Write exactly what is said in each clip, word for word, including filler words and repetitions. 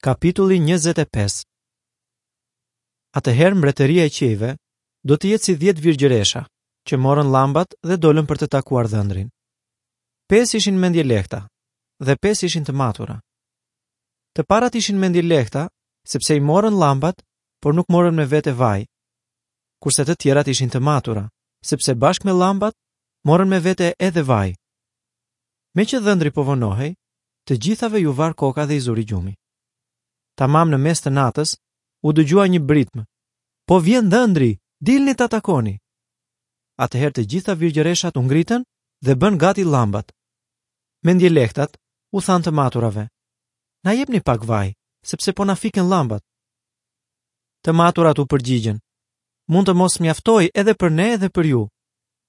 Kapitulli njëzet e pesë. Atëherë mbretëria e qiejve do të jetë si dhjetë virgjëresha, që morën llambat dhe dolën për të takuar dhëndrin. Pesë ishin mendjelehta dhe pesë ishin të matura. Të parat ishin mendjelehta, sepse i morën llambat, por nuk morën me vete vaj. Kurse të tjerat ishin të matura, sepse bashkë me llambat morën me vete edhe vaj. Meqë dhëndri po vonohej, të gjithave ju var koka dhe i zuri gjumi. Tamam në mes të natës, u dëgjua një britmë. Po vjen dhëndri, dilni ta takoni. Atëherë të gjitha virgjëreshat u ngritën dhe bën gati llambat. Mendjelehtat u thanë të maturave: Na jepni pak vaj, sepse po na fiken llambat. Të maturat u përgjigjën: Mund të mos mjaftoj edhe për ne edhe për ju.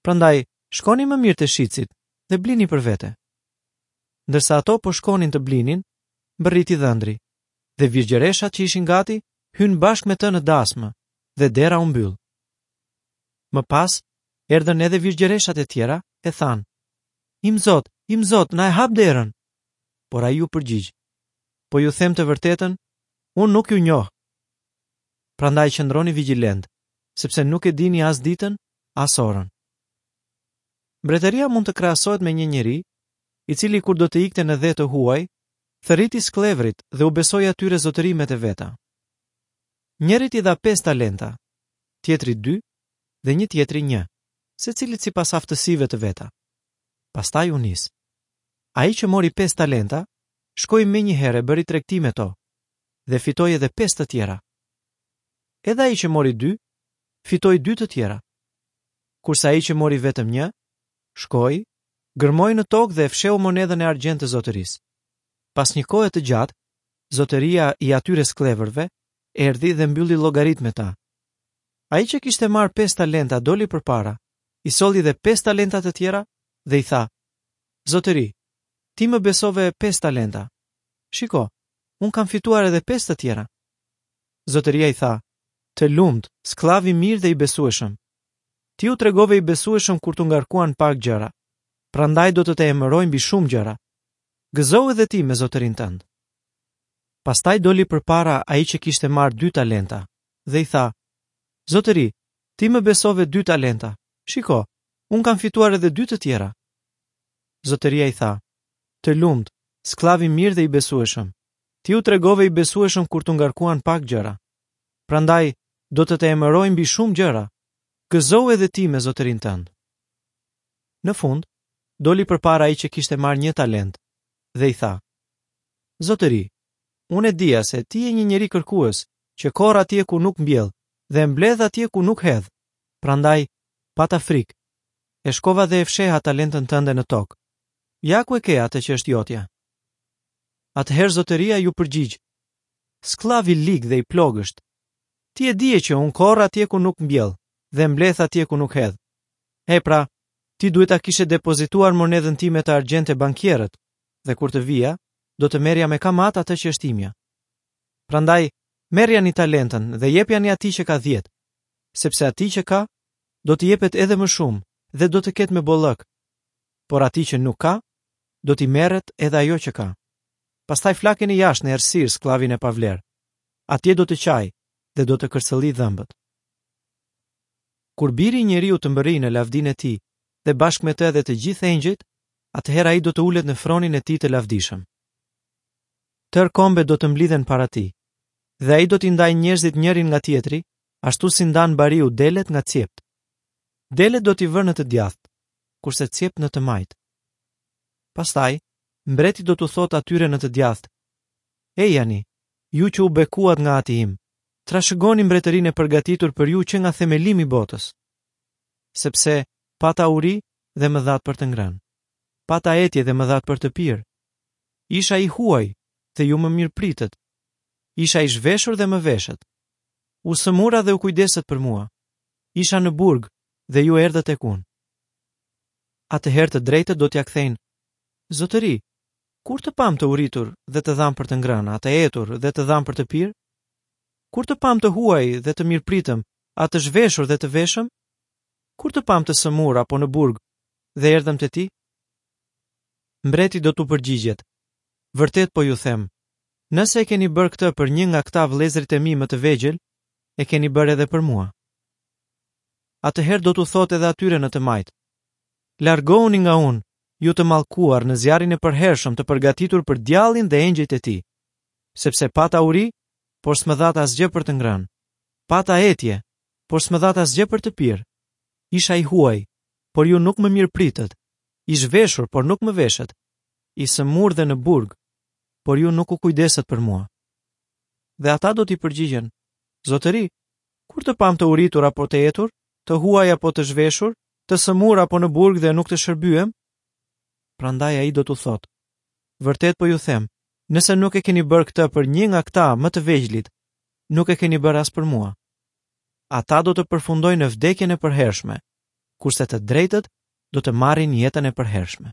Prandaj shkoni më mirë te shitësit dhe blini për vete. Ndërsa ato po shkonin të blinin, mbërriti dhëndri, dhe virgjëreshat që ishin gati hyn bashkë me të në dasmë dhe dera u mbyll. Më pas erdhën edhe virgjëreshat e tjera e thanë: Im zot, im zot, na e hap derën. Por ai u përgjigj: Po ju them të vërtetën, unë nuk ju njoh. Prandaj qëndroni vigjilent, sepse nuk e dini as ditën, as orën. Mbretëria mund të krahasohet me një njeri, i cili kur do të ikte në dhe të huaj, thërriti skllevrit dhe u besoi atyre zotërimet e veta. Njërit i dha pesë talenta, tjetrit dy dhe një tjetri një, secilit sipas aftësive të veta. Pastaj u nis. Ai që mori pesë talenta, shkoi menjëherë e bëri tregti me to dhe fitoi edhe pesë të tjera. Edhe ai që mori dy, fitoi dy të tjera. Kurse ai që mori vetëm një, shkoi, gërmoi në tokë dhe e fsheu monedhën e argjendtë të zotërisë. Pas një kohe të gjatë, zotëria i atyre skllevërve erdhi dhe mbylli llogarit me ta. Ai që kishte marrë pesë talenta doli përpara, i solli dhe pesë talenta të tjera dhe i tha: Zotëri, ti më besove pesë talenta. Shiko, unë kam fituar edhe pesë të tjera. Zotëria i tha: Të lumt, skllav i mirë dhe i besueshëm. Ti u tregove i besueshëm kur t'u ngarkuan pak gjëra, prandaj do të të emëroj mbi shumë gjëra. Gëzohu edhe ti me zotërin tënd. Pastaj doli përpara ai që kishte marrë dy talenta dhe i tha: Zotëri, ti më besove dy talenta. Shiko, unë kam fituar edhe dy të tjera. Zotëria i tha: Të lumt, skllav i mirë dhe i besueshëm. Ti u tregove i besueshëm kur t'u ngarkuan pak gjëra. Prandaj do të të emëroj mbi shumë gjëra. Gëzohu edhe ti me zotërin tënd. Në fund, doli përpara ai që kishte marrë një talent dhe i tha: Zotëri, unë e dija se ti je një njeri kërkues, që korr atje ku nuk mbjell dhe mbledh atje ku nuk hedh. Prandaj pata frikë. E shkova dhe e fsheha talentën tënde në tokë. Ja ku e ke atë që është jotja. Atëherë zotëria ju përgjigj: Skllav i lig dhe i plogësht. Ti e dije që unë korr atje ku nuk mbjell dhe mbledh atje ku nuk hedh. E pra, ti duhet ta kishe depozituar monedhën time të argjendtë te bankierët, dhe kur të vija, do të merrja me kamat atë që është imja. Prandaj, merrjani talentën dhe jepjani atij që ka dhjetë, sepse atij që ka, do t'i jepet edhe më shumë dhe do të ketë me bollëk, por atij që nuk ka, do t'i merret edhe ajo që ka. Pastaj flakeni jashtë në errësirë skllavin e pavlerë. Atje do të qaj dhe do të kërcëlli dhëmbët. Kur biri i njeriu të mbërrijë në lavdinë e tij dhe bashkë me të edhe të gjithë engjëjt, atëherë ai do të ulet në fronin e tij të lavdishëm. Tërë kombet do të mblidhen para tij, dhe ai do t'i ndajë njerëzit njërin nga tjetri, ashtu si ndan bariu delet nga cjept. Delet do t'i vërë në të djathtë, kurse cjept në të majtë. Pastaj, mbreti do t'u thotë atyre në të djathtë: Ejani, ju që u bekuat nga ati im, trashëgoni mbretërinë e përgatitur për ju që nga themelimi i botës. Sepse pata uri dhe më dhatë për të ngrënë, pata etje dhe më dhatë për të pirë. Isha i huaj dhe ju më mirëpritët. Isha i zhveshur dhe më veshët. U sëmura dhe u kujdesët për mua. Isha në burg dhe ju erdhët tek unë. Atëherë të drejtët do t'ja kthejnë: Zotëri, kur të pam të uritur dhe të dham për të ngrënë, a të etur dhe të dham për të pirë? Kur të pam të huaj dhe të mirëpritëm, a të zhveshur dhe të veshëm? Kur të pam të sëmur apo në burg dhe erdhëm te ti? Mbreti do t'u përgjigjet: Vërtet po ju them, Nëse e keni bërë këtë për një nga këta vëllezërit e mi më të vegjël, e keni bërë edhe për mua. Atëherë do t'u thotë edhe atyre në të majtë: Largohuni nga unë, ju të mallkuar në zjarrin e përhershëm të përgatitur për djallin dhe engjëjt e tij. Sepse pata uri, por s'më dhatë asgjë për të ngrënë. Pata etje, por s'më dhatë asgjë për të pirë. Isha i huaj, por ju nuk më mirëpritët. I zhveshur, por nuk më veshët. I sëmurë dhe në burg, por ju nuk u kujdesët për mua. Dhe ata do t'i përgjigjen: Zotëri, kur të pamë të uritur apo të etur, të huaj apo të zhveshur, të sëmurë apo në burg dhe nuk të shërbyem? Prandaj ai do t'u thotë: Vërtet po ju them, nëse nuk e keni bërë këtë për një nga këta më të vegjlit, nuk e keni bërë as për mua. Ata do të përfundojnë në vdekjen e përhershme, kurse të drejtët do të marrin jetën e përhershme.